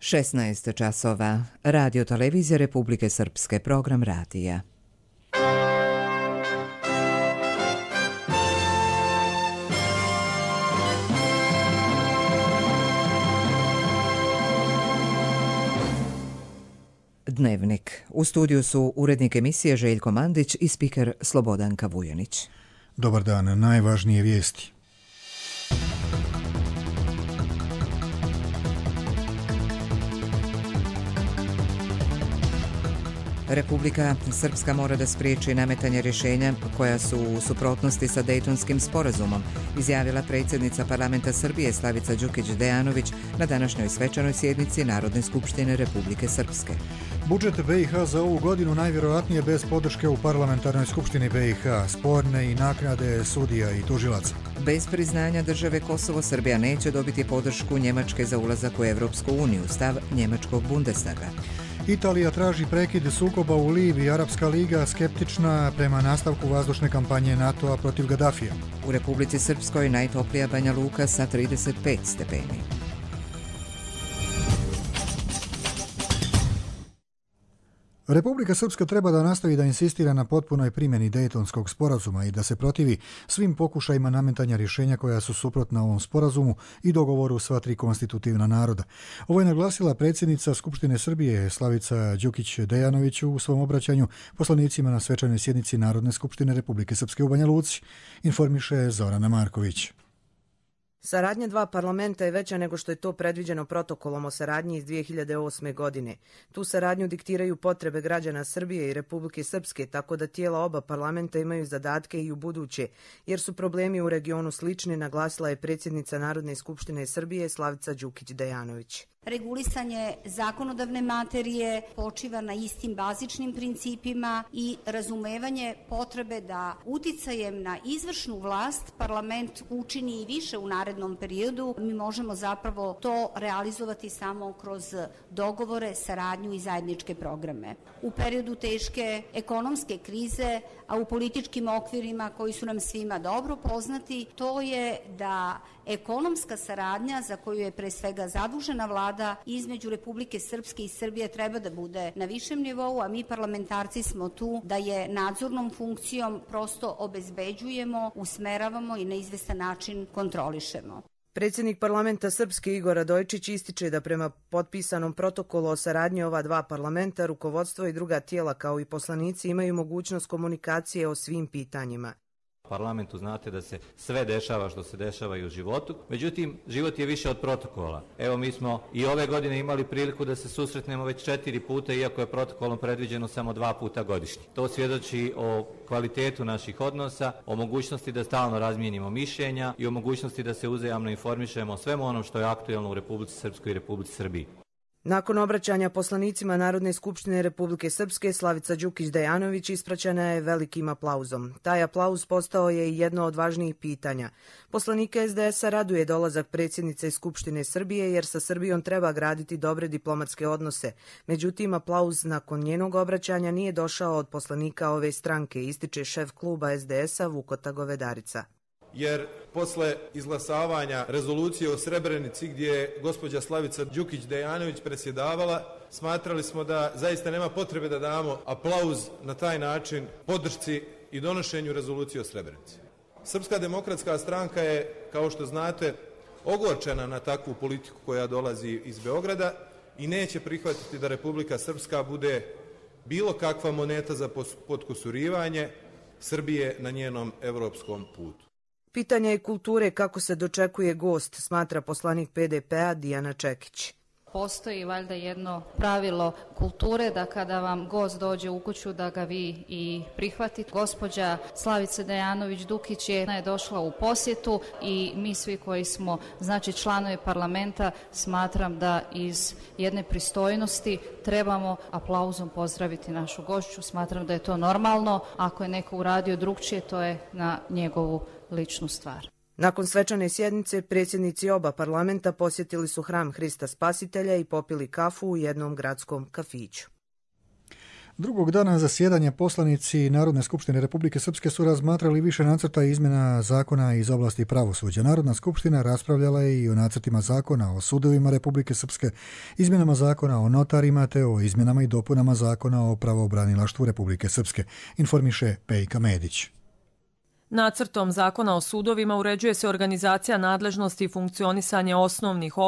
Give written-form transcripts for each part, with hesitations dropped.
16 časova. Radio Televizija Republike Srpske, program radija. Dnevnik. U studiju su urednik emisije Željko Mandić i spiker Slobodanka Vujanić. Dobar dan, najvažnije vijesti. Republika Srpska mora da spriječi nametanje rješenja koja su u suprotnosti sa Dejtonskim sporazumom, izjavila predsjednica parlamenta Srbije Slavica Đukić Dejanović na današnjoj svečanoj sjednici Narodne skupštine Republike Srpske. Budžet BiH za ovu godinu najvjerojatnije bez podrške u parlamentarnoj skupštini BiH, sporne i naknade sudija i tužilaca. Bez priznanja države Kosovo, Srbija neće dobiti podršku Njemačke za ulazak u Evropsku uniju, stav njemačkog Bundestaga. Italija traži prekid sukoba u Libiji, Arapska liga skeptična prema nastavku vazdušne kampanje NATO-a protiv Gaddafija. U Republici Srpskoj najtoplija Banja Luka sa 35 stepeni. Republika Srpska treba da nastavi da insistira na potpunoj primjeni Dejtonskog sporazuma i da se protivi svim pokušajima nametanja rješenja koja su suprotna ovom sporazumu i dogovoru sva tri konstitutivna naroda. Ovo je naglasila predsjednica Skupštine Srbije Slavica Đukić Dejanović u svom obraćanju poslanicima na svečanoj sjednici Narodne skupštine Republike Srpske u Banja Luci, informiše Zorana Marković. Saradnja dva parlamenta je veća nego što je to predviđeno protokolom o saradnji iz 2008. godine. Tu saradnju diktiraju potrebe građana Srbije i Republike Srpske, tako da tijela oba parlamenta imaju zadatke i u buduće, jer su problemi u regionu slični, naglasila je predsjednica Narodne skupštine Srbije Slavica Đukić Dejanović. Regulisanje zakonodavne materije počiva na istim bazičnim principima i razumevanje potrebe da uticajem na izvršnu vlast parlament učini i više u narednom periodu. Mi možemo zapravo to realizovati samo kroz dogovore, saradnju i zajedničke programe. U periodu teške ekonomske krize, a u političkim okvirima koji su nam svima dobro poznati, to je da ekonomska saradnja za koju je pre svega zadužena vlada između Republike Srpske i Srbije treba da bude na višem nivou, a mi parlamentarci smo tu da je nadzornom funkcijom prosto obezbeđujemo, usmeravamo i na izvestan način kontrolišemo. Predsjednik parlamenta Srpske Igor Radojčić ističe da prema potpisanom protokolu o saradnji ova dva parlamenta, rukovodstvo i druga tijela kao i poslanici imaju mogućnost komunikacije o svim pitanjima. U parlamentu znate da se sve dešava što se dešava i u životu, međutim život je više od protokola. Evo mi smo i ove godine imali priliku da se susretnemo već 4 puta, iako je protokolom predviđeno samo 2 puta godišnje. To svjedoči o kvalitetu naših odnosa, o mogućnosti da stalno razmijenimo mišljenja i o mogućnosti da se uzajamno informišemo o svemu onom što je aktuelno u Republici Srpskoj i Republici Srbiji. Nakon obraćanja poslanicima Narodne skupštine Republike Srpske, Slavica Đukić Dejanović ispraćena je velikim aplauzom. Taj aplauz postao je i jedno od važnijih pitanja. Poslanike SDS-a raduje dolazak predsjednice Skupštine Srbije jer sa Srbijom treba graditi dobre diplomatske odnose. Međutim, aplauz nakon njenog obraćanja nije došao od poslanika ove stranke, ističe šef kluba SDS-a Vukota Govedarica. Jer posle izglasavanja rezolucije o Srebrenici gdje je gospođa Slavica Đukić Dejanović predsjedavala, smatrali smo da zaista nema potrebe da damo aplauz na taj način podršci i donošenju rezolucije o Srebrenici. Srpska demokratska stranka je, kao što znate, ogorčena na takvu politiku koja dolazi iz Beograda i neće prihvatiti da Republika Srpska bude bilo kakva moneta za potkusurivanje Srbije na njenom evropskom putu. Pitanje je kulture kako se dočekuje gost, smatra poslanik PDP-a Dijana Čekić. Postoji valjda jedno pravilo kulture da kada vam gost dođe u kuću da ga vi i prihvatite. Gospođa Slavica Dejanović Dukić je došla u posjetu i mi svi koji smo članovi parlamenta smatram da iz jedne pristojnosti trebamo aplauzom pozdraviti našu gošću. Smatram da je to normalno. Ako je neko uradio drugčije, to je na njegovu ličnu stvar. Nakon svečane sjednice, predsjednici oba parlamenta posjetili su hram Hrista Spasitelja i popili kafu u jednom gradskom kafiću. Drugog dana zasjedanja poslanici Narodne skupštine Republike Srpske su razmatrali više nacrta izmjena zakona iz oblasti pravosuđa. Narodna skupština raspravljala je i o nacrtima zakona o sudovima Republike Srpske, izmjenama zakona o notarima te o izmjenama i dopunama zakona o pravobranilaštvu Republike Srpske, informiše Pejka Medić. Nacrtom zakona o sudovima uređuje se organizacija nadležnosti i funkcionisanje osnovnih,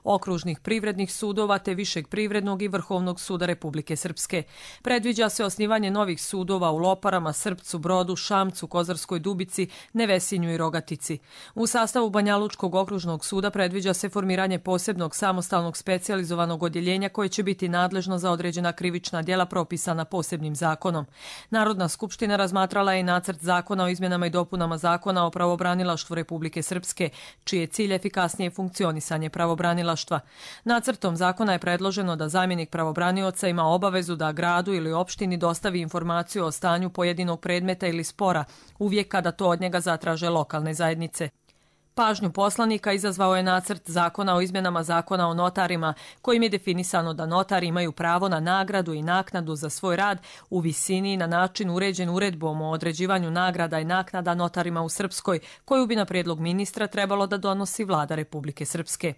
okružnih privrednih sudova te Višeg privrednog i Vrhovnog suda Republike Srpske. Predviđa se osnivanje novih sudova u Loparama, Srpcu, Brodu, Šamcu, Kozarskoj Dubici, Nevesinju i Rogatici. U sastavu Banjalučkog okružnog suda predviđa se formiranje posebnog samostalnog specijalizovanog odjeljenja koje će biti nadležno za određena krivična djela propisana posebnim zakonom. Narodna skupština razmatrala je i nacrt zakona o izmjenama i dopunama zakona o pravobranilaštvu Republike Srpske, čiji je cilj efikasnije funkcionisanje pravobranilaštva. Nacrtom zakona je predloženo da zamjenik pravobranioca ima obavezu da gradu ili opštini dostavi informaciju o stanju pojedinog predmeta ili spora, uvijek kada to od njega zatraže lokalne zajednice. Pažnju poslanika izazvao je nacrt zakona o izmjenama zakona o notarima, kojim je definisano da notari imaju pravo na nagradu i naknadu za svoj rad u visini i na način uređen uredbom o određivanju nagrada i naknada notarima u Srpskoj, koju bi na prijedlog ministra trebalo da donosi vlada Republike Srpske.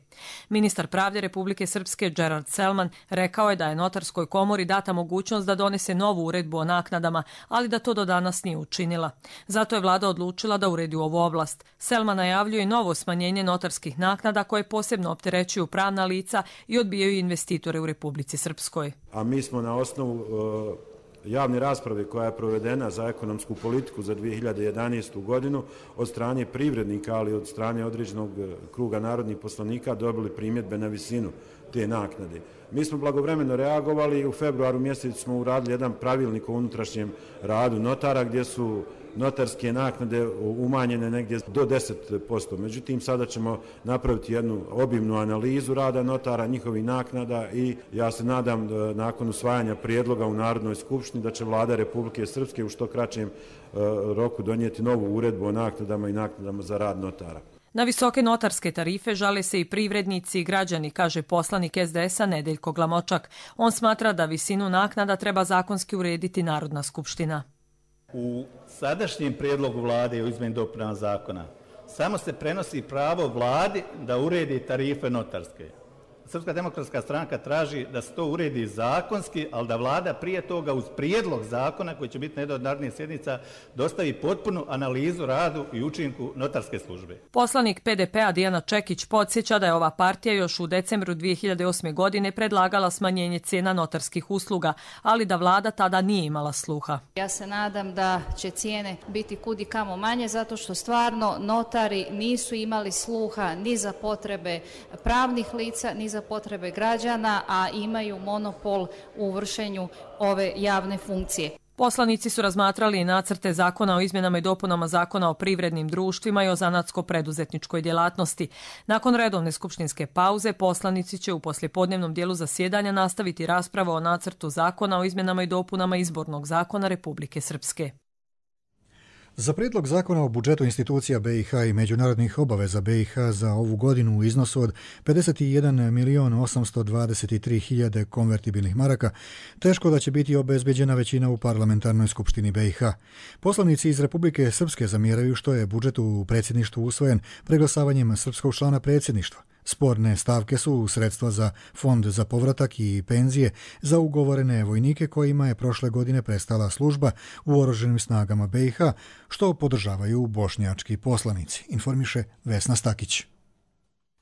Ministar pravde Republike Srpske Gerard Selman rekao je da je notarskoj komori data mogućnost da donese novu uredbu o naknadama, ali da to do danas nije učinila. Zato je vlada odlučila da uredi ovu oblast. Selman najavljuje i novo smanjenje notarskih naknada koje posebno opterećuju pravna lica i odbijaju investitore u Republici Srpskoj. A mi smo na osnovu javne rasprave koja je provedena za ekonomsku politiku za 2011. godinu od strane privrednika, ali od strane određenog kruga narodnih poslanika dobili primjedbe na visinu te naknade. Mi smo blagovremeno reagovali i u februaru mjesecu smo uradili jedan pravilnik o unutrašnjem radu notara gdje su notarske naknade umanjene negdje do 10%. Međutim, sada ćemo napraviti jednu obimnu analizu rada notara, njihovih naknada i ja se nadam da nakon usvajanja prijedloga u Narodnoj skupštini da će vlada Republike Srpske u što kraćem roku donijeti novu uredbu o naknadama i naknadama za rad notara. Na visoke notarske tarife žale se i privrednici i građani, kaže poslanik SDS-a Nedeljko Glamočak. On smatra da visinu naknada treba zakonski urediti Narodna skupština. U sadašnjem prijedlogu vlade o izmjeni dopuna zakona samo se prenosi pravo vladi da uredi tarife notarske. Srpska demokratska stranka traži da se to uredi zakonski, ali da vlada prije toga uz prijedlog zakona koji će biti na jednoj od narednih sjednica dostavi potpunu analizu radu i učinku notarske službe. Poslanik PDP-a Dijana Čekić podsjeća da je ova partija još u decembru 2008. godine predlagala smanjenje cijena notarskih usluga, ali da vlada tada nije imala sluha. Ja se nadam da će cijene biti kudi kamo manje zato što stvarno notari nisu imali sluha ni za potrebe pravnih lica, ni za potrebe građana, a imaju monopol u vršenju ove javne funkcije. Poslanici su razmatrali i nacrte zakona o izmjenama i dopunama zakona o privrednim društvima i o zanatsko-preduzetničkoj djelatnosti. Nakon redovne skupštinske pauze, poslanici će u poslijepodnevnom dijelu zasjedanja nastaviti raspravu o nacrtu zakona o izmjenama i dopunama izbornog zakona Republike Srpske. Za prijedlog zakona o budžetu institucija BiH i međunarodnih obaveza BiH za ovu godinu u iznosu od 51.823.000 konvertibilnih maraka teško da će biti obezbeđena većina u parlamentarnoj skupštini BiH. Poslanici iz Republike Srpske zamjeraju što je budžet u predsjedništvu usvojen preglasavanjem srpskog člana predsjedništva. Sporne stavke su sredstva za fond za povratak i penzije za ugovorene vojnike kojima je prošle godine prestala služba u oružanim snagama BiH, što podržavaju bošnjački poslanici, informiše Vesna Stakić.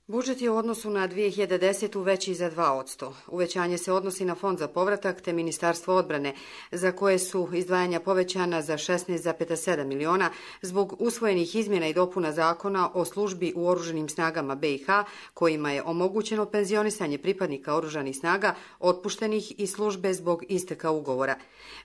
Budžet je u odnosu na 2010. veći za 2%. Uvećanje se odnosi na fond za povratak te Ministarstvo odbrane, za koje su izdvajanja povećana za 16,7 miliona zbog usvojenih izmjena i dopuna zakona o službi u oružanim snagama BiH, kojima je omogućeno penzionisanje pripadnika oružanih snaga otpuštenih iz službe zbog isteka ugovora.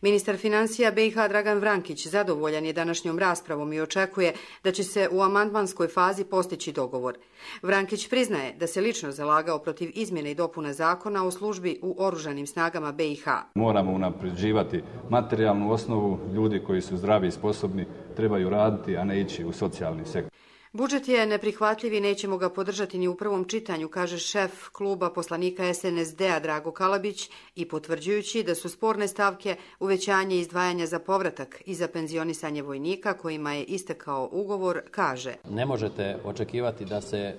Ministar financija BiH Dragan Vrankić zadovoljan je današnjom raspravom i očekuje da će se u amandmanskoj fazi postići dogovor. Vrankić priznaje da se lično zalagao protiv izmjene i dopuna zakona o službi u oružanim snagama BiH. Moramo unapređivati materijalnu osnovu, ljudi koji su zdravi i sposobni trebaju raditi, a ne ići u socijalni sektor. Budžet je neprihvatljiv i nećemo ga podržati ni u prvom čitanju, kaže šef kluba poslanika SNSD-a Drago Kalabić i potvrđujući da su sporne stavke uvećanje izdvajanja za povratak i za penzionisanje vojnika kojima je istekao ugovor, kaže. Ne možete očekivati da se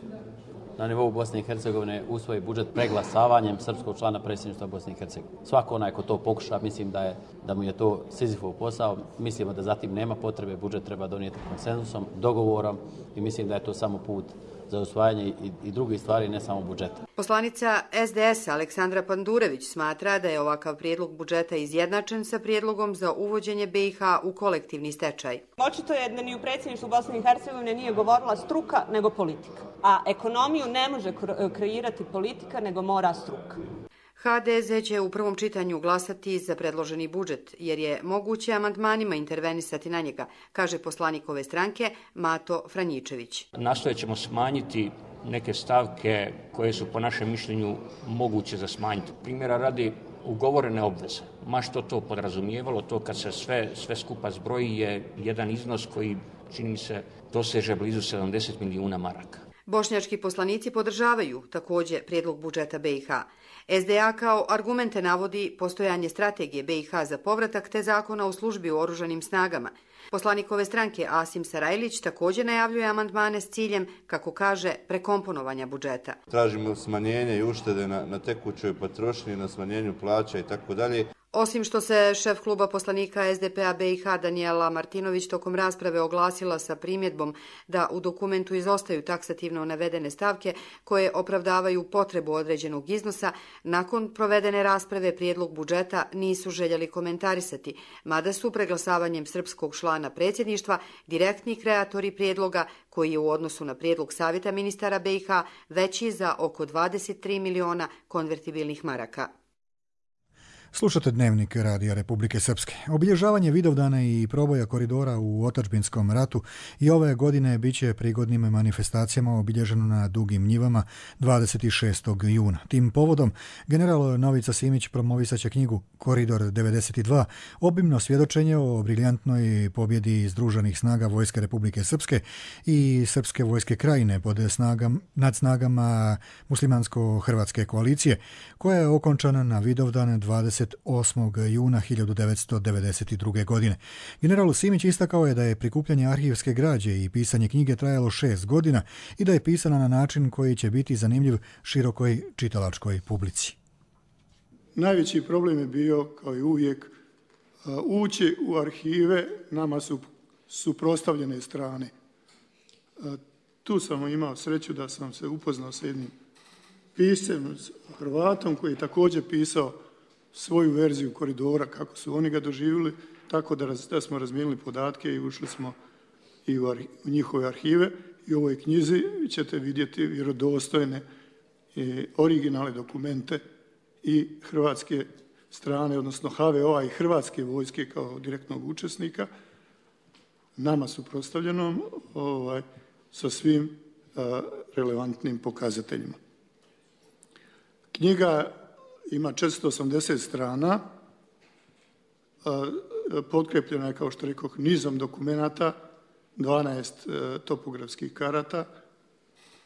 na nivou Bosne i Hercegovine usvoji budžet preglasavanjem srpskog člana predsjedništva Bosne i Hercegovine. Svako onaj ko to pokuša, mislim da mu je to Sizifov posao. Mislimo da zatim nema potrebe, budžet treba donijeti konsenzusom, dogovorom i mislim da je to samo put za usvajanje i drugih stvari, ne samo budžeta. Poslanica SDS-a Aleksandra Pandurević smatra da je ovakav prijedlog budžeta izjednačen sa prijedlogom za uvođenje BiH u kolektivni stečaj. Očito je da ni u predsjedništvu Bosne i Hercegovine nije govorila struka nego politika, a ekonomiju ne može kreirati politika nego mora struka. HDZ će u prvom čitanju glasati za predloženi budžet, jer je moguće amandmanima intervenisati na njega, kaže poslanik ove stranke Mato Franjičević. Nastojat ćemo smanjiti neke stavke koje su po našem mišljenju moguće za smanjiti. Primjera radi ugovorene obveze. Ma što to podrazumijevalo, to kad se sve skupa zbroji je jedan iznos koji, čini mi se, doseže blizu 70 milijuna maraka. Bošnjački poslanici podržavaju također prijedlog budžeta BiH. SDA kao argumente navodi postojanje strategije BiH za povratak te zakona o službi u oružanim snagama. Poslanik ove stranke Asim Sarajlić također najavljuje amandmane s ciljem, kako kaže, prekomponovanja budžeta. Tražimo smanjenje i uštede na tekućoj potrošnji, na smanjenju plaća i tako dalje. Osim što se šef kluba poslanika SDP-a BiH Danijela Martinović tokom rasprave oglasila sa primjedbom da u dokumentu izostaju taksativno navedene stavke koje opravdavaju potrebu određenog iznosa, nakon provedene rasprave prijedlog budžeta nisu željeli komentarisati, mada su preglasavanjem srpskog člana predsjedništva direktni kreatori prijedloga koji je u odnosu na prijedlog Savjeta ministara BiH veći za oko 23 miliona konvertibilnih maraka. Slušate Dnevnik Radija Republike Srpske. Obilježavanje Vidovdana i proboja koridora u otadžbinskom ratu i ove godine bit će prigodnim manifestacijama obilježeno na Dugim njivama 26. juna. Tim povodom general Novica Simić promovisat će knjigu Koridor 92, obimno svjedočenje o briljantnoj pobjedi združenih snaga Vojske Republike Srpske i Srpske vojske Krajine nad snagama muslimansko-hrvatske koalicije, koja je okončana na Vidovdan 28. juna 1992. godine. General Simić istakao je da je prikupljanje arhivske građe i pisanje knjige trajalo 6 godina i da je pisana na način koji će biti zanimljiv širokoj čitalačkoj publici. Najveći problem je bio, kao i uvijek, ući u arhive, nama su suprotstavljene strane. Tu sam imao sreću da sam se upoznao sa jednim piscem, Hrvatom, koji je također pisao svoju verziju koridora, kako su oni ga doživjeli, tako da smo razmijenili podatke i ušli smo i u njihove arhive. I u ovoj knjizi ćete vidjeti vjerodostojne i originalne dokumente i hrvatske strane, odnosno HVO-a i Hrvatske vojske kao direktnog učesnika, nama suprotstavljenom sa svim relevantnim pokazateljima. Knjiga ima 480 strana, potkrepljena je, kao što rekoh, nizom dokumenata, 12 topografskih karata,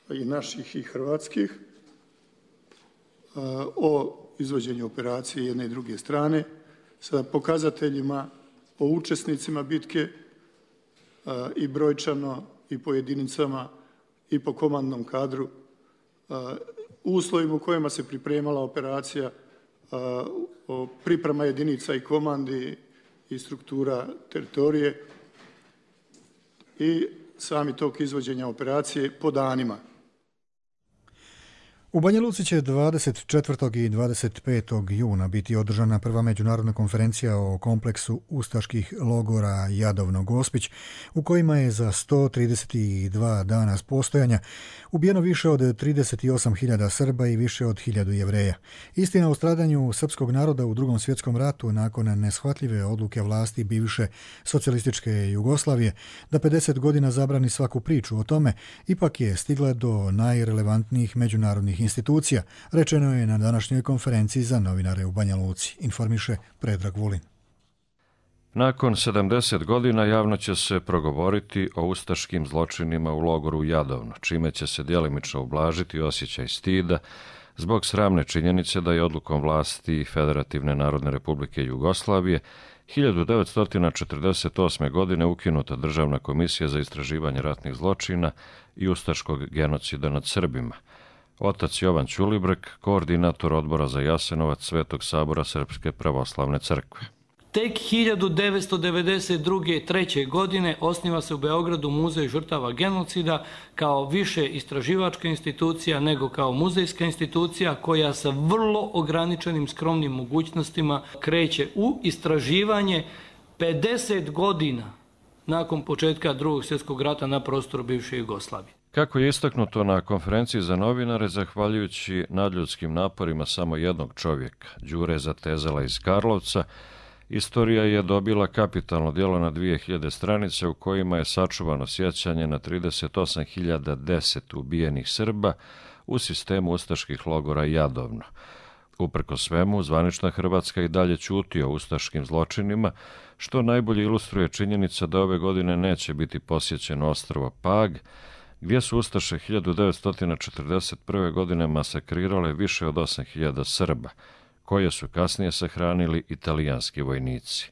i naših i hrvatskih, o izvođenju operacije jedne i druge strane, sa pokazateljima o učesnicima bitke i brojčano i po jedinicama i po komandnom kadru, uslovima u kojima se pripremala operacija, priprema jedinica i komandi i struktura teritorije i sami tok izvođenja operacije po danima. U Banja Luci će 24. i 25. juna biti održana prva međunarodna konferencija o kompleksu ustaških logora Jadovno-Gospić, u kojima je za 132 dana postojanja ubijeno više od 38.000 Srba i više od 1.000 Jevreja. Istina o stradanju srpskog naroda u Drugom svjetskom ratu nakon neshvatljive odluke vlasti bivše socijalističke Jugoslavije da 50 godina zabrani svaku priču o tome, ipak je stigla do najrelevantnijih međunarodnih institucija, rečeno je na današnjoj konferenciji za novinare u Banja Luci, informiše Predrag Vulin. Nakon 70 godina javno će se progovoriti o ustaškim zločinima u logoru Jadovno, čime će se djelimično ublažiti osjećaj stida zbog sramne činjenice da je odlukom vlasti Federativne Narodne Republike Jugoslavije 1948. godine ukinuta Državna komisija za istraživanje ratnih zločina i ustaškog genocida nad Srbima. Otac Jovan Ćulibrk, koordinator odbora za Jasenovac Svetog sabora Srpske pravoslavne crkve. Tek 1992. 3. godine osniva se u Beogradu Muzej žrtava genocida kao više istraživačka institucija nego kao muzejska institucija koja sa vrlo ograničenim skromnim mogućnostima kreće u istraživanje 50 godina nakon početka Drugog svjetskog rata na prostoru bivše Jugoslavije. Kako je istaknuto na konferenciji za novinare, zahvaljujući nadljudskim naporima samo jednog čovjeka, Đure Zatezala iz Karlovca, istorija je dobila kapitalno djelo na 2000 stranica u kojima je sačuvano sjećanje na 38.010 ubijenih Srba u sistemu ustaških logora Jadovno. Uprko svemu, zvanična Hrvatska i dalje ćuti o ustaškim zločinima, što najbolje ilustruje činjenica da ove godine neće biti posjećeno ostrvo Pag, gdje su ustaše 1941. godine masakrirale više od 8.000 Srba, koje su kasnije sahranili italijanski vojnici.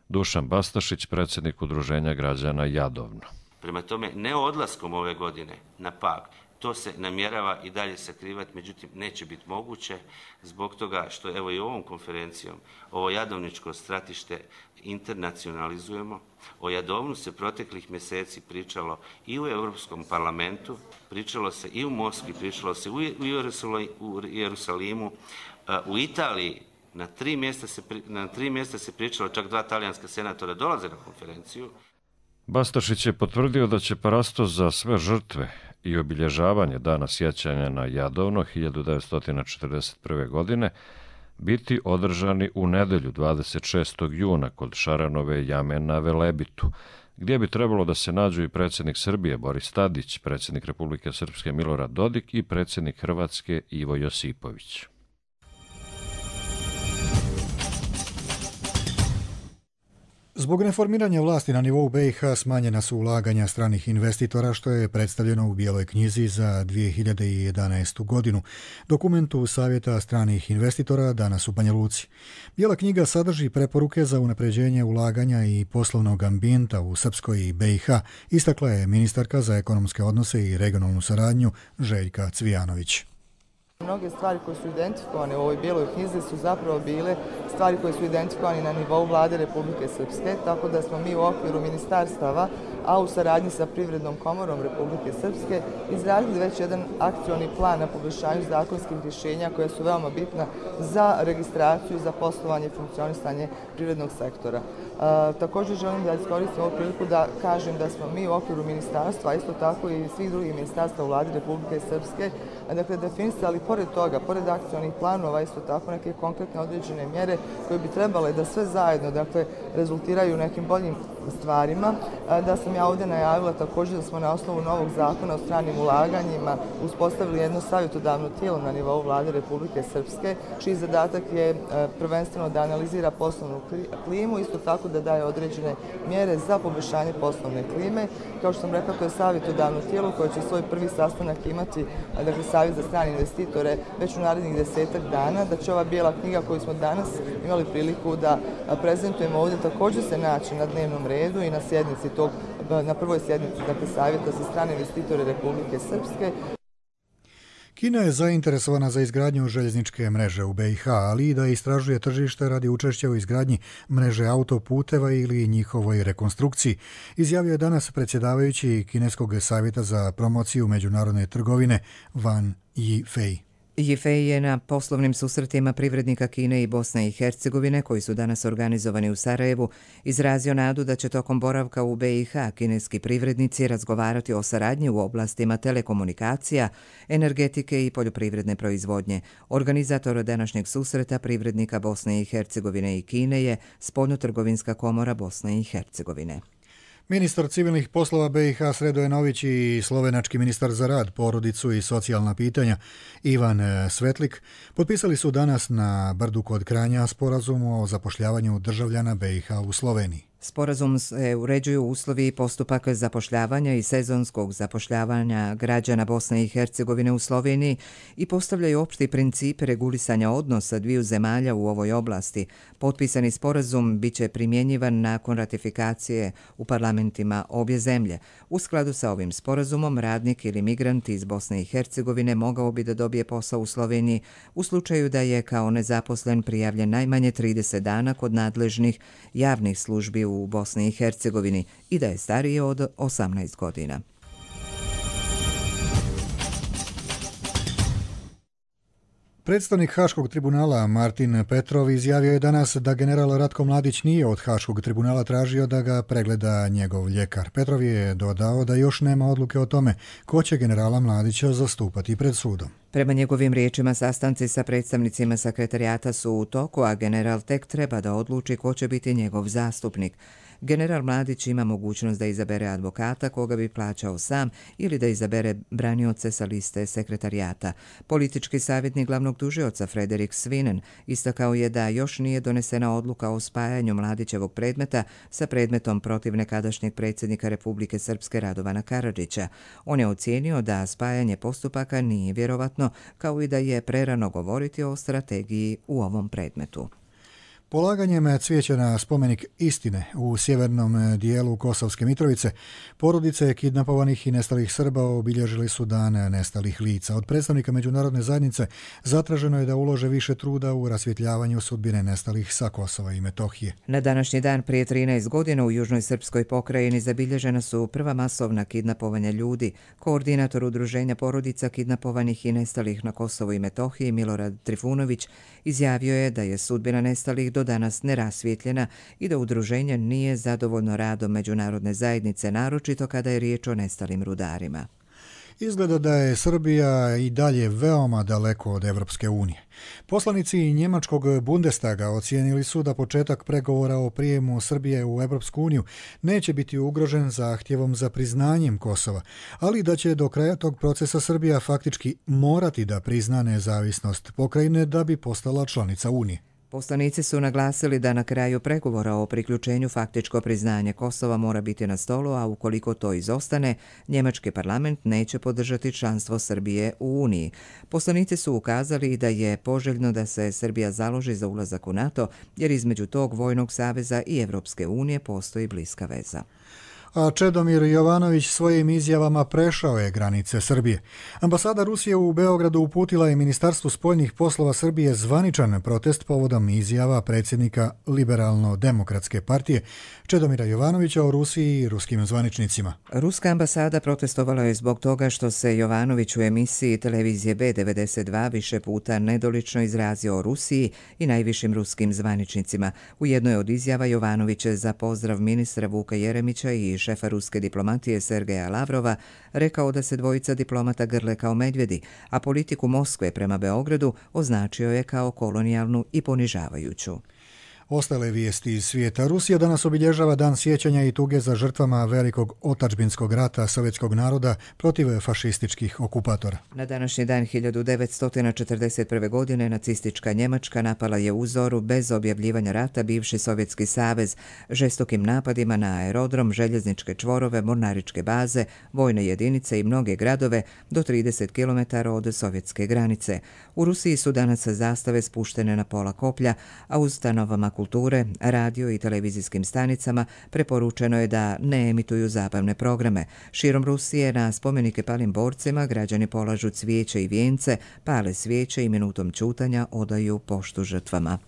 Dušan Bastašić, predsjednik Udruženja građana Jadovno. Prema tome, ne odlaskom ove godine na Pag, to se namjerava i dalje sakrivati, međutim neće biti moguće zbog toga što evo i ovom konferencijom ovo jadovničko stratište internacionalizujemo. O Jadovnu se proteklih mjeseci pričalo i u Europskom parlamentu, pričalo se i u Moskvi, pričalo se u Jerusalimu, u Italiji. Na 3 mjesta se pričalo, čak 2 talijanska senatora dolaze na konferenciju. Bastašić je potvrdio da će parastos za sve žrtve i obilježavanje dana sjećanja na Jadovno 1941. godine biti održani u nedjelju 26. juna kod Šaranove jame na Velebitu, gdje bi trebalo da se nađu i predsjednik Srbije Boris Tadić, predsjednik Republike Srpske Milorad Dodik i predsjednik Hrvatske Ivo Josipović. Zbog reformiranja vlasti na nivou BiH smanjena su ulaganja stranih investitora, što je predstavljeno u Bijeloj knjizi za 2011. godinu, dokumentu Savjeta stranih investitora danas u Banja Luci. Bijela knjiga sadrži preporuke za unapređenje ulaganja i poslovnog ambijenta u Srpskoj i BiH, istakla je ministarka za ekonomske odnose i regionalnu saradnju Željka Cvijanović. Mnoge stvari koje su identifikovane u ovoj bijeloj knjizi su zapravo bile stvari koje su identifikovane na nivou Vlade Republike Srpske, tako da smo mi u okviru ministarstava, a u saradnji sa Privrednom komorom Republike Srpske, izradili već jedan akcioni plan na poboljšanju zakonskih rješenja koja su veoma bitna za registraciju, za poslovanje i funkcionisanje privrednog sektora. Također želim da iskoristim ovu priliku da kažem da smo mi u okviru ministarstva, a isto tako i svih drugih ministarstva u Vladi Republike Srpske, dakle definisali pored toga, pored akcionih planova, isto tako neke konkretne određene mjere koje bi trebale da sve zajedno, dakle, rezultiraju nekim boljim stvarima, da sam ja ovdje najavila također da smo na osnovu novog zakona o stranim ulaganjima uspostavili jedno savjetodavno tijelo na nivou Vlade Republike Srpske, čiji zadatak je prvenstveno da analizira poslovnu klimu, isto tako da daje određene mjere za poboljšanje poslovne klime. Kao što sam rekla, to je savjetodavno tijelo koje će svoj prvi sastanak imati, dakle, Savjet za strane investitore već u narednih 10-ak dana, da će ova bijela knjiga koju smo danas imali priliku da prezentujemo ovdje također se naći na dnevnom redu i na prvoj sjednici, dakle, Savjeta za strane investitore Republike Srpske. Kina je zainteresovana za izgradnju željezničke mreže u BiH, ali i da istražuje tržište radi učešća u izgradnji mreže autoputeva ili njihovoj rekonstrukciji, izjavio je danas predsjedavajući Kineskog savjeta za promociju međunarodne trgovine Wang Yifei. Yifei je na poslovnim susretima privrednika Kine i Bosne i Hercegovine, koji su danas organizovani u Sarajevu, izrazio nadu da će tokom boravka u BiH kineski privrednici razgovarati o saradnji u oblastima telekomunikacija, energetike i poljoprivredne proizvodnje. Organizator današnjeg susreta privrednika Bosne i Hercegovine i Kine je Spoljnotrgovinska komora Bosne i Hercegovine. Ministar civilnih poslova BiH Sredo Enović i slovenački ministar za rad, porodicu i socijalna pitanja Ivan Svetlik potpisali su danas na Brdu kod Kranja sporazum o zapošljavanju državljana BiH u Sloveniji. Sporazum se uređuju uslovi i postupak zapošljavanja i sezonskog zapošljavanja građana Bosne i Hercegovine u Sloveniji i postavljaju opšti princip regulisanja odnosa dviju zemalja u ovoj oblasti. Potpisani sporazum biće primjenjivan nakon ratifikacije u parlamentima obje zemlje. U skladu sa ovim sporazumom, radnik ili migrant iz Bosne i Hercegovine mogao bi da dobije posao u Sloveniji u slučaju da je kao nezaposlen prijavljen najmanje 30 dana kod nadležnih javnih službi u Bosni i Hercegovini i da je stariji od 18 godina. Predstavnik Haškog tribunala Martin Petrov izjavio je danas da general Ratko Mladić nije od Haškog tribunala tražio da ga pregleda njegov ljekar. Petrov je dodao da još nema odluke o tome ko će generala Mladića zastupati pred sudom. Prema njegovim riječima, sastanci sa predstavnicima sekretarijata su u toku, a general tek treba da odluči ko će biti njegov zastupnik. General Mladić ima mogućnost da izabere advokata koga bi plaćao sam ili da izabere branioce sa liste sekretarijata. Politički savjetnik glavnog tužioca Frederik Svinen istakao je da još nije donesena odluka o spajanju Mladićevog predmeta sa predmetom protiv nekadašnjeg predsjednika Republike Srpske Radovana Karadžića. On je ocijenio da spajanje postupaka nije vjerovatno, kao i da je prerano govoriti o strategiji u ovom predmetu. Polaganjem cvijeća na spomenik istine u sjevernom dijelu Kosovske Mitrovice, porodice kidnapovanih i nestalih Srba obilježili su dan nestalih lica. Od predstavnika međunarodne zajednice zatraženo je da ulože više truda u rasvjetljavanju sudbine nestalih sa Kosova i Metohije. Na današnji dan prije 13 godina u Južnoj Srpskoj pokrajini zabilježena su prva masovna kidnapovanja ljudi. Koordinator udruženja porodica kidnapovanih i nestalih na Kosovu i Metohiji Milorad Trifunović izjavio je da je sudbina nestalih do danas nerasvjetljena i da udruženje nije zadovoljno radom međunarodne zajednice, naročito kada je riječ o nestalim rudarima. Izgleda da je Srbija i dalje veoma daleko od Evropske unije. Poslanici njemačkog Bundestaga ocijenili su da početak pregovora o prijemu Srbije u Evropsku uniju neće biti ugrožen zahtjevom za priznanjem Kosova, ali da će do kraja tog procesa Srbija faktički morati da prizna nezavisnost pokrajine da bi postala članica Unije. Poslanici su naglasili da na kraju pregovora o priključenju faktičko priznanje Kosova mora biti na stolu, a ukoliko to izostane, njemački parlament neće podržati članstvo Srbije u Uniji. Poslanici su ukazali da je poželjno da se Srbija založi za ulazak u NATO, jer između tog vojnog saveza i Evropske unije postoji bliska veza. A Čedomir Jovanović svojim izjavama prešao je granice Srbije. Ambasada Rusije u Beogradu uputila je Ministarstvu spoljnih poslova Srbije zvaničan protest povodom izjava predsjednika Liberalno-demokratske partije Čedomira Jovanovića o Rusiji i ruskim zvaničnicima. Ruska ambasada protestovala je zbog toga što se Jovanović u emisiji televizije B92 više puta nedolično izrazio o Rusiji i najvišim ruskim zvaničnicima. U jednoj od izjava Jovanović je za pozdrav ministra Vuka Jeremića i šefa ruske diplomatije Sergeja Lavrova rekao da se dvojica diplomata grle kao medvjedi, a politiku Moskve prema Beogradu označio je kao kolonijalnu i ponižavajuću. Ostale vijesti iz svijeta. Rusija danas obilježava dan sjećanja i tuge za žrtvama velikog otadžbinskog rata sovjetskog naroda protiv fašističkih okupatora. Na današnji dan 1941. godine nacistička Njemačka napala je u zoru bez objavljivanja rata bivši Sovjetski savez žestokim napadima na aerodrom, željezničke čvorove, mornaričke baze, vojne jedinice i mnoge gradove do 30 km od sovjetske granice. U Rusiji su danas zastave spuštene na pola koplja, a u ustanovama kulture, radio i televizijskim stanicama preporučeno je da ne emituju zabavne programe. Širom Rusije na spomenike palim borcima građani polažu cvijeće i vijence, pale svijeće i minutom ćutanja odaju poštu žrtvama.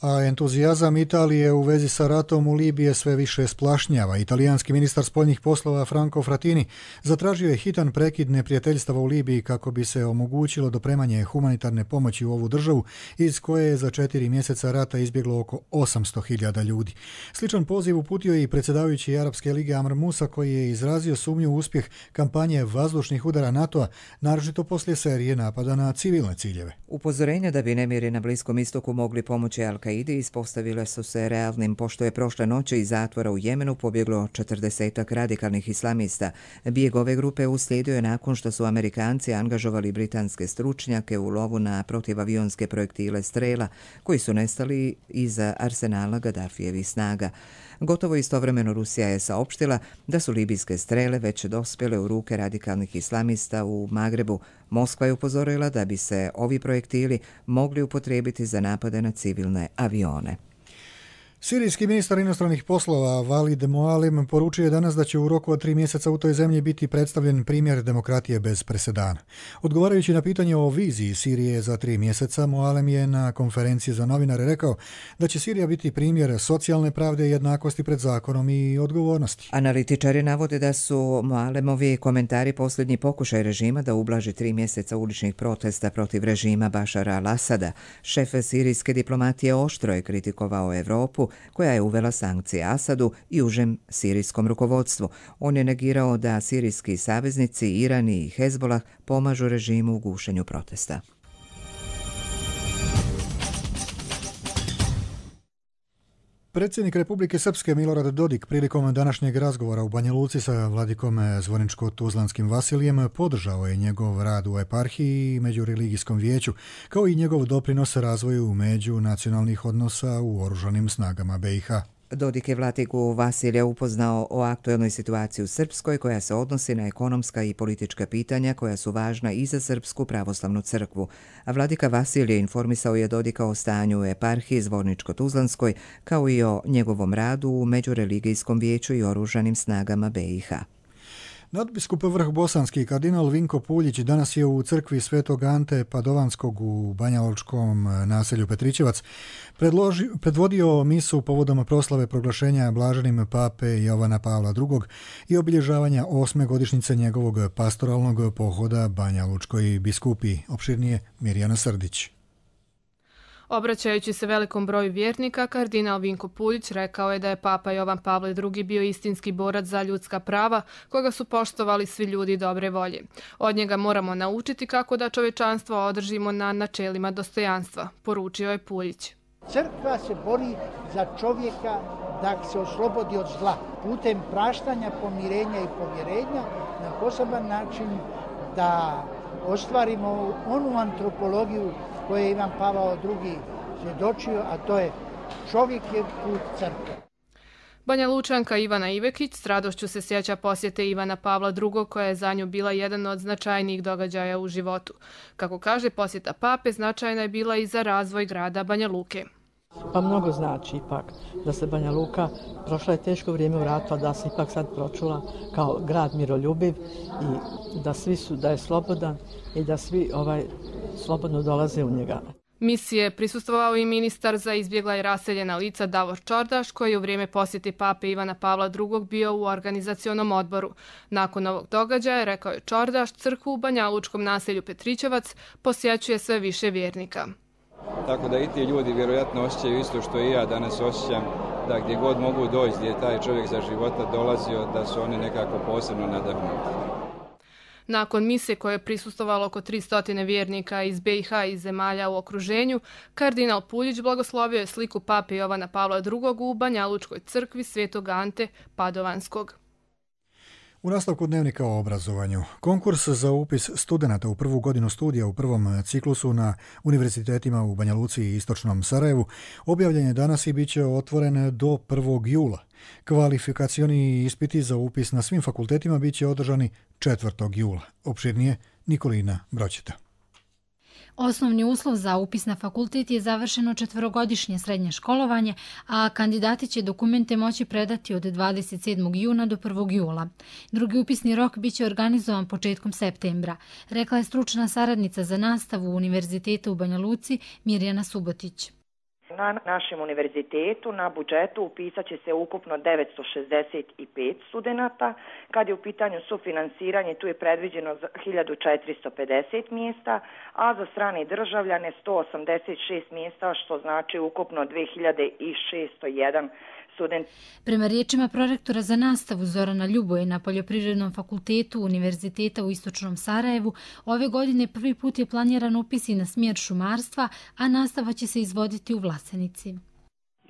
A entuzijazam Italije u vezi sa ratom u Libiji sve više splašnjava. Italijanski ministar spoljnih poslova Franco Frattini zatražio je hitan prekid neprijateljstava u Libiji kako bi se omogućilo dopremanje humanitarne pomoći u ovu državu iz koje je za 4 mjeseca rata izbjeglo oko 800.000 ljudi. Sličan poziv uputio je i predsjedavajući Arapske lige Amr Musa koji je izrazio sumnju u uspjeh kampanje vazdušnih udara NATO-a, naročito poslije serije napada na civilne ciljeve. Upozorenja da bi nemiri na Bliskom istoku mogli pomoći Al-Qaidi Al-Kaidi ispostavile su se realnim, pošto je prošle noći iz zatvora u Jemenu pobjeglo 40 radikalnih islamista. Bijeg ove grupe uslijedio je nakon što su Amerikanci angažovali britanske stručnjake u lovu na protivavionske projektile Strela, koji su nestali iz arsenala Gaddafijevih snaga. Gotovo istovremeno Rusija je saopštila da su libijske Strele već dospjele u ruke radikalnih islamista u Magrebu. Moskva je upozorila da bi se ovi projektili mogli upotrijebiti za napade na civilne avione. Sirijski ministar inostranih poslova Walid Mualim poručio je danas da će u roku od 3 mjeseca u toj zemlji biti predstavljen primjer demokratije bez presedana. Odgovarajući na pitanje o viziji Sirije za 3 mjeseca, Mualim je na konferenciji za novinare rekao da će Sirija biti primjer socijalne pravde, jednakosti pred zakonom i odgovornosti. Analitičari navode da su Mualimovi komentari posljednji pokušaj režima da ublaži 3 mjeseca uličnih protesta protiv režima Bašara al-Asada. Šef sirijske diplomatije oštro je kritikovao Europu, koja je uvela sankcije Asadu i užem sirijskom rukovodstvu. On je negirao da sirijski saveznici Iran i Hezbolah pomažu režimu u gušenju protesta. Predsjednik Republike Srpske Milorad Dodik prilikom današnjeg razgovora u Banja Luci sa vladikom Zvorničko-Tuzlanskim Vasilijem podržao je njegov rad u eparhiji i međureligijskom vijeću, kao i njegov doprinos razvoju međunacionalnih odnosa u oružanim snagama BiH. Dodik je vladiku Vasilja upoznao o aktuelnoj situaciji u Srpskoj, koja se odnosi na ekonomska i politička pitanja koja su važna i za Srpsku pravoslavnu crkvu. A vladika Vasilje informisao je Dodika o stanju u eparhiji Zvorničko-Tuzlanskoj, kao i o njegovom radu u međureligijskom vijeću i oružanim snagama BiH. Nadbiskup Vrhbosanski kardinal Vinko Puljić danas je u crkvi Svetog Ante Padovanskog u banjalučkom naselju Petričevac predvodio misu povodom proslave proglašenja blaženim pape Jovana Pavla II. I obilježavanja 8. godišnjice njegovog pastoralnog pohoda banjalučkoj biskupiji. Opširnije Mirjana Srdić. Obraćajući se velikom broju vjernika, kardinal Vinko Puljić rekao je da je papa Jovan Pavle II bio istinski borac za ljudska prava, koga su poštovali svi ljudi dobre volje. Od njega moramo naučiti kako da čovečanstvo održimo na načelima dostojanstva, poručio je Puljić. Crkva se bori za čovjeka da se oslobodi od zla, putem praštanja, pomirenja i povjerenja, na poseban način da ostvarimo onu antropologiju koje je Ivan Pavao II svjedočio, a to je čovjek je put crkve. Banja Lučanka Ivana Ivekić s radošću se sjeća posjete Ivana Pavla II, koja je za nju bila jedan od značajnijih događaja u životu. Kako kaže, posjeta pape značajna je bila i za razvoj grada Banja Luke. Pa mnogo znači ipak da se Banja Luka, prošla je teško vrijeme u ratu, a da se ipak sad pročula kao grad miroljubiv i da je slobodan i da svi slobodno dolaze u njega. Misije je prisustvovao i ministar za izbjegla i raseljena lica Davor Čordaš, koji je u vrijeme posjeti pape Ivana Pavla II bio u organizacionom odboru. Nakon ovog događaja, rekao je Čordaš, crkvu u banjalučkom naselju Petričevac posjećuje sve više vjernika. Tako da i ti ljudi vjerojatno osjećaju isto što i ja danas osjećam, da gdje god mogu doći, gdje je taj čovjek za života dolazio, da su oni nekako posebno nadahnuti. Nakon mise koje je prisustvovalo oko 300 vjernika iz BiH i zemalja u okruženju, kardinal Puljić blagoslovio je sliku pape Jovana Pavla II u Banjalučkoj crkvi Svetog Ante Padovanskog. U nastavku dnevnika o obrazovanju. Konkurs za upis studenata u prvu godinu studija u prvom ciklusu na univerzitetima u Banja Luci i Istočnom Sarajevu objavljen je danas i bit će otvoren do 1. jula. Kvalifikacioni ispiti za upis na svim fakultetima bit će održani 4. jula. Opširnije Nikolina Broćeta. Osnovni uslov za upis na fakultet je završeno 4-godišnje srednje školovanje, a kandidati će dokumente moći predati od 27. juna do 1. jula. Drugi upisni rok biće organizovan početkom septembra, rekla je stručna saradnica za nastavu Univerziteta u Banja Luci Mirjana Subotić. Na našem univerzitetu na budžetu upisat će se ukupno 965 studenata. Kad je u pitanju sufinansiranje, tu je predviđeno 1450 mjesta, a za strane državljane 186 mjesta, što znači ukupno 2601 studenti. Prema riječima prorektora za nastavu Zorana Ljuboje na Poljoprivrednom fakultetu Univerziteta u Istočnom Sarajevu, ove godine prvi put je planiran upis i na smjer šumarstva, a nastava će se izvoditi u Vlasenici.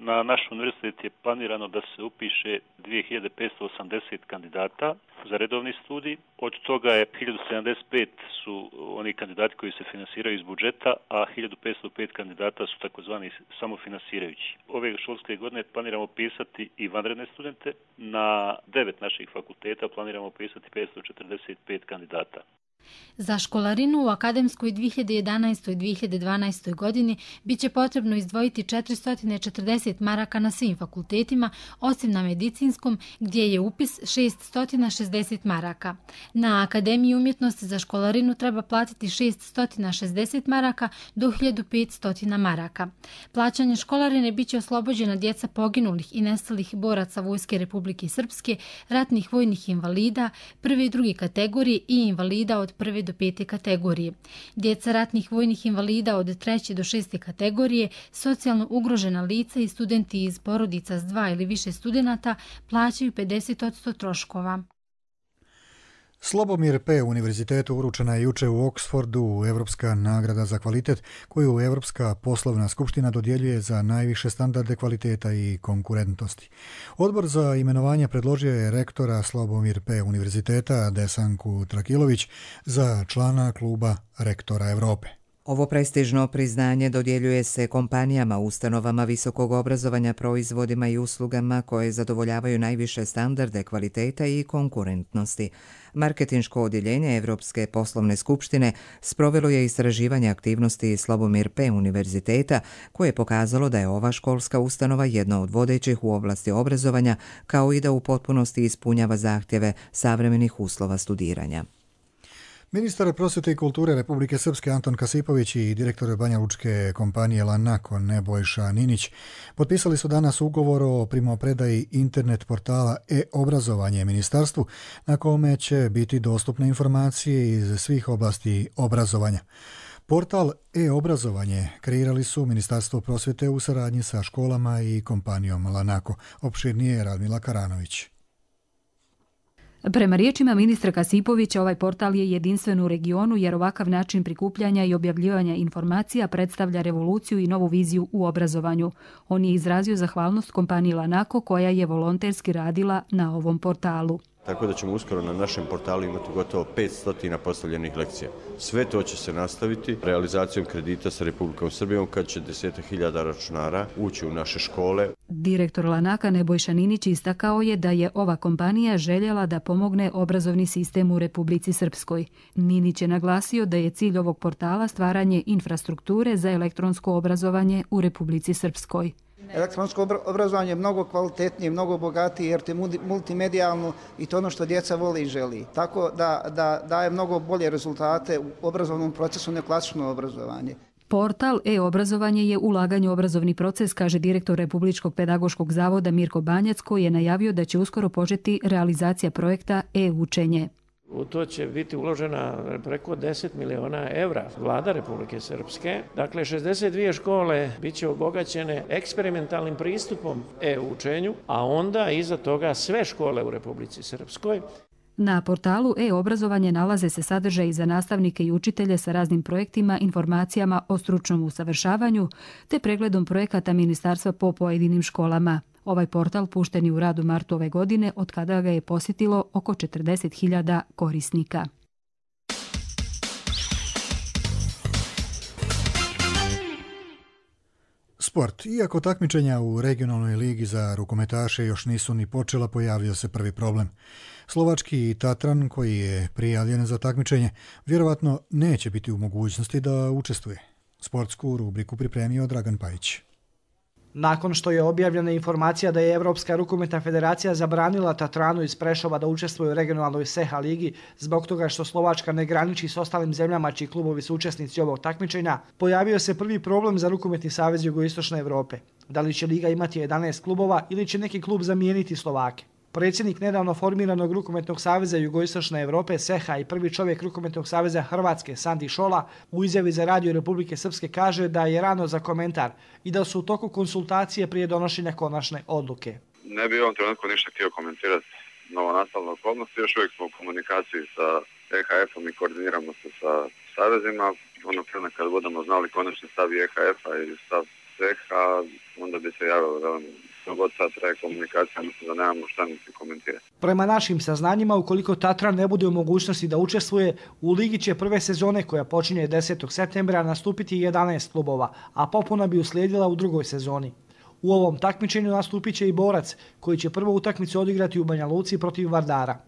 Na naš univerzitet je planirano da se upiše 2580 kandidata za redovni studij. Od toga je 1075 su oni kandidati koji se finansiraju iz budžeta, a 1505 kandidata su takozvani samofinansirajući. Ove školske godine planiramo upisati i vanredne studente. Na 9 naših fakulteta planiramo upisati 545 kandidata. Za školarinu u akademskoj 2011. i 2012. godini bit će potrebno izdvojiti 440 maraka na svim fakultetima, osim na medicinskom gdje je upis 660 maraka. Na Akademiji umjetnosti za školarinu treba platiti 660 maraka do 1500 maraka. Plaćanje školarine bit će oslobođena djeca poginulih i nestalih boraca Vojske Republike Srpske, ratnih vojnih invalida, prve i druge kategorije i invalida od 1. do 5. kategorije. Djeca ratnih vojnih invalida od 3. do 6. kategorije, socijalno ugrožena lica i studenti iz porodica s 2 ili više studenata plaćaju 50% troškova. Slobomir P. Univerzitetu uručena je juče u Oksfordu Evropska nagrada za kvalitet koju Evropska poslovna skupština dodjeljuje za najviše standarde kvaliteta i konkurentnosti. Odbor za imenovanje predložio je rektora Slobomir P. Univerziteta Desanku Trakilović za člana kluba rektora Europe. Ovo prestižno priznanje dodjeljuje se kompanijama, ustanovama visokog obrazovanja, proizvodima i uslugama koje zadovoljavaju najviše standarde kvaliteta i konkurentnosti. Marketinško odjeljenje Evropske poslovne skupštine sprovelo je istraživanje aktivnosti Slobomir P. Univerziteta koje je pokazalo da je ova školska ustanova jedna od vodećih u oblasti obrazovanja, kao i da u potpunosti ispunjava zahtjeve savremenih uslova studiranja. Ministar prosvjete i kulture Republike Srpske Anton Kasipović i direktor banjalučke kompanije Lanako Nebojša Ninić potpisali su danas ugovor o primopredaji internet portala e-obrazovanje ministarstvu na kome će biti dostupne informacije iz svih oblasti obrazovanja. Portal e-obrazovanje kreirali su Ministarstvo prosvjete u saradnji sa školama i kompanijom Lanako. Opširnije Radmila Karanović. Prema riječima ministra Kasipovića, ovaj portal je jedinstven u regionu jer ovakav način prikupljanja i objavljivanja informacija predstavlja revoluciju i novu viziju u obrazovanju. On je izrazio zahvalnost kompaniji Lanako koja je volonterski radila na ovom portalu. Tako da ćemo uskoro na našem portalu imati gotovo 500 postavljenih lekcija. Sve to će se nastaviti realizacijom kredita sa Republikom Srbijom kad će 10.000 računara ući u naše škole. Direktor Lanaka Nebojša Ninić istakao je da je ova kompanija željela da pomogne obrazovni sistem u Republici Srpskoj. Ninić je naglasio da je cilj ovog portala stvaranje infrastrukture za elektronsko obrazovanje u Republici Srpskoj. Elektronsko obrazovanje je mnogo kvalitetnije, mnogo bogatije jer te multimedijalno i to ono što djeca vole i želi. Tako da daje mnogo bolje rezultate u obrazovnom procesu nego klasično obrazovanje. Portal e-obrazovanje je ulaganje u obrazovni proces, kaže direktor Republičkog pedagoškog zavoda Mirko Banjac, koji je najavio da će uskoro početi realizacija projekta e-učenje. U to će biti uložena preko 10 miliona evra vlada Republike Srpske. Dakle, 62 škole bit će obogaćene eksperimentalnim pristupom e-učenju, a onda iza toga sve škole u Republici Srpskoj. Na portalu e-obrazovanje nalaze se sadržaji za nastavnike i učitelje sa raznim projektima, informacijama o stručnom usavršavanju te pregledom projekata ministarstva po pojedinim školama. Ovaj portal pušten je u rad u martu ove godine, od kada ga je posjetilo oko 40.000 korisnika. Sport. Iako takmičenja u regionalnoj ligi za rukometaše još nisu ni počela, pojavio se prvi problem. Slovački Tatran, koji je prijavljen za takmičenje, vjerovatno neće biti u mogućnosti da učestvuje. Sportsku rubriku pripremio Dragan Pajić. Nakon što je objavljena informacija da je Evropska rukometna federacija zabranila Tatranu iz Prešova da učestvuje u regionalnoj SEHA ligi zbog toga što Slovačka ne graniči s ostalim zemljama čiji klubovi su učesnici ovog takmičenja, pojavio se prvi problem za Rukometni savez Jugoistočne Evrope. Da li će liga imati 11 klubova ili će neki klub zamijeniti Slovake? Predsjednik nedavno formiranog Rukometnog saveza Jugoistočne Evrope SEHA i prvi čovjek Rukometnog saveza Hrvatske Sandi Šola u izjavi za Radio Republike Srpske kaže da je rano za komentar i da su u toku konsultacije prije donošenja konačne odluke. Ne bi u ovom trenutku ništa htio komentirati novonastavne okolnosti. Još uvijek smo u komunikaciji sa EHF-om i koordiniramo se sa savezima. Ono prema kad budemo znali konačni stav EHF-a i stav CEH-a, onda bi se javilo god sad traje komunikacija, mislim da nemamo šta niti komentirati. Prema našim saznanjima, ukoliko Tatran ne bude u mogućnosti da učestvuje, u ligi će prve sezone koja počinje 10. septembra nastupiti 11 klubova, a popuna bi uslijedila u drugoj sezoni. U ovom takmičenju nastupit će i Borac, koji će prvu utakmicu odigrati u Banja Luci protiv Vardara.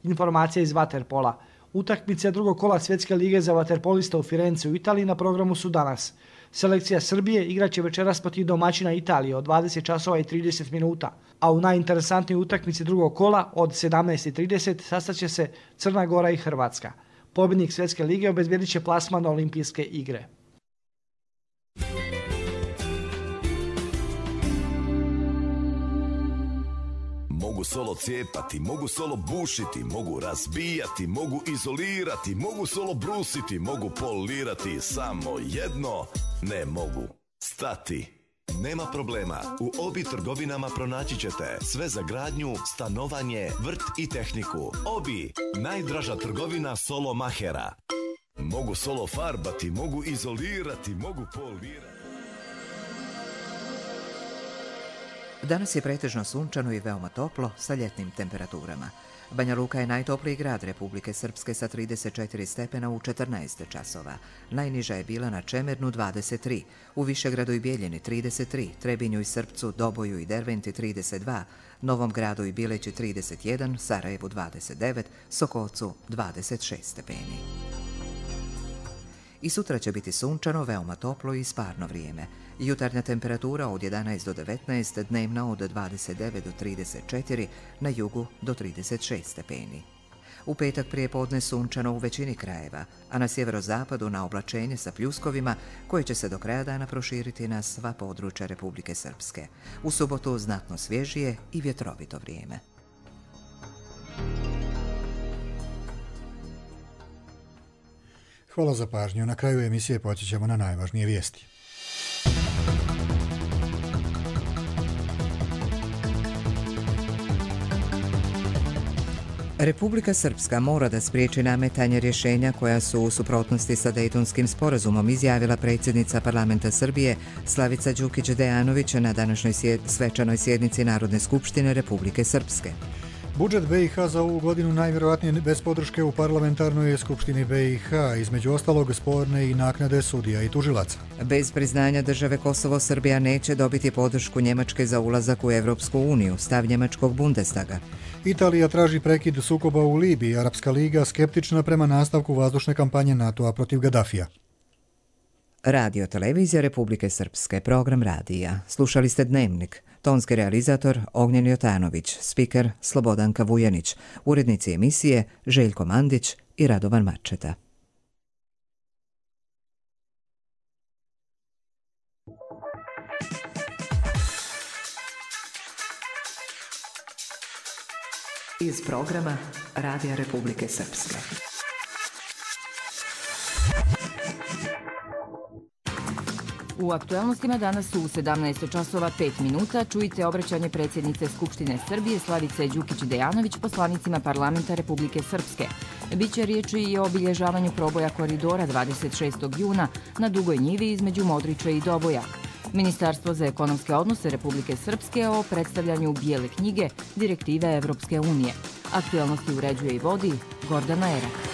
Informacija iz vaterpola. Utakmice drugog kola Svjetske lige za vaterpolista u Firenci u Italiji na programu su danas. Selekcija Srbije igraće večeras protiv domaćina Italije od 20 časova i 30 minuta, a u najinteresantnijoj utakmici drugog kola od 17:30 sastaće se Crna Gora i Hrvatska. Pobjednik Svjetske lige obezbjedit će plasman na Olimpijske igre. Mogu solo cijepati, mogu solo bušiti, mogu razbijati, mogu izolirati, mogu solo brusiti, mogu polirati, samo jedno ne mogu stati. Nema problema, u Obi trgovinama pronaći ćete sve za gradnju, stanovanje, vrt i tehniku. Obi, najdraža trgovina solo mahera. Mogu solo farbati, mogu izolirati, mogu polirati. Danas je pretežno sunčano i veoma toplo sa ljetnim temperaturama. Banja Luka je najtopliji grad Republike Srpske sa 34 stepena u 14 časova. Najniža je bila na Čemernu 23, u Višegradu i Bijeljini 33, Trebinju i Srpcu, Doboju i Derventi 32, Novom Gradu i Bileći 31, Sarajevu 29, Sokolcu 26 stepeni. I sutra će biti sunčano, veoma toplo i sparno vrijeme. Jutarnja temperatura od 11 do 19, dnevna od 29 do 34, na jugu do 36 stepeni. U petak prijepodne sunčano u većini krajeva, a na sjeverozapadu na oblačenje sa pljuskovima koje će se do kraja dana proširiti na sva područja Republike Srpske. U subotu znatno svježije i vjetrovito vrijeme. Hvala za pažnju. Na kraju emisije podsjećamo na najvažnije vijesti. Republika Srpska mora da spriječi nametanje rješenja koja su u suprotnosti sa Dejtonskim sporazumom, izjavila predsjednica parlamenta Srbije Slavica Đukić-Dejanović na današnjoj svečanoj sjednici Narodne skupštine Republike Srpske. Budžet BiH za ovu godinu najvjerojatnije bez podrške u parlamentarnoj skupštini BiH, između ostalog sporne i naknade sudija i tužilaca. Bez priznanja države Kosovo, Srbija neće dobiti podršku Njemačke za ulazak u Evropsku uniju, stav njemačkog Bundestaga. Italija traži prekid sukoba u Libiji, Arapska liga skeptična prema nastavku vazdušne kampanje NATO-a protiv Gaddafija. Radio Televizija Republike Srpske, program radija. Slušali ste Dnevnik. Tonski realizator Ognjen Jotanović, spiker Slobodanka Vujanić, urednici emisije Željko Mandić i Radovan Marčeta. Iz programa Radija Republike Srpske. U aktualnostima danas su u 17 časova 5 minuta. Čujte obraćanje predsjednice Skupštine Srbije Slavice Đukić-Dejanović poslanicima parlamenta Republike Srpske. Biće riječi i o obilježavanju proboja koridora 26. juna na Dugoj njivi između Modrića i Doboja. Ministarstvo za ekonomske odnose Republike Srpske o predstavljanju bijele knjige direktive Evropske unije. Aktualnosti uređuje i vodi Gordana Erak.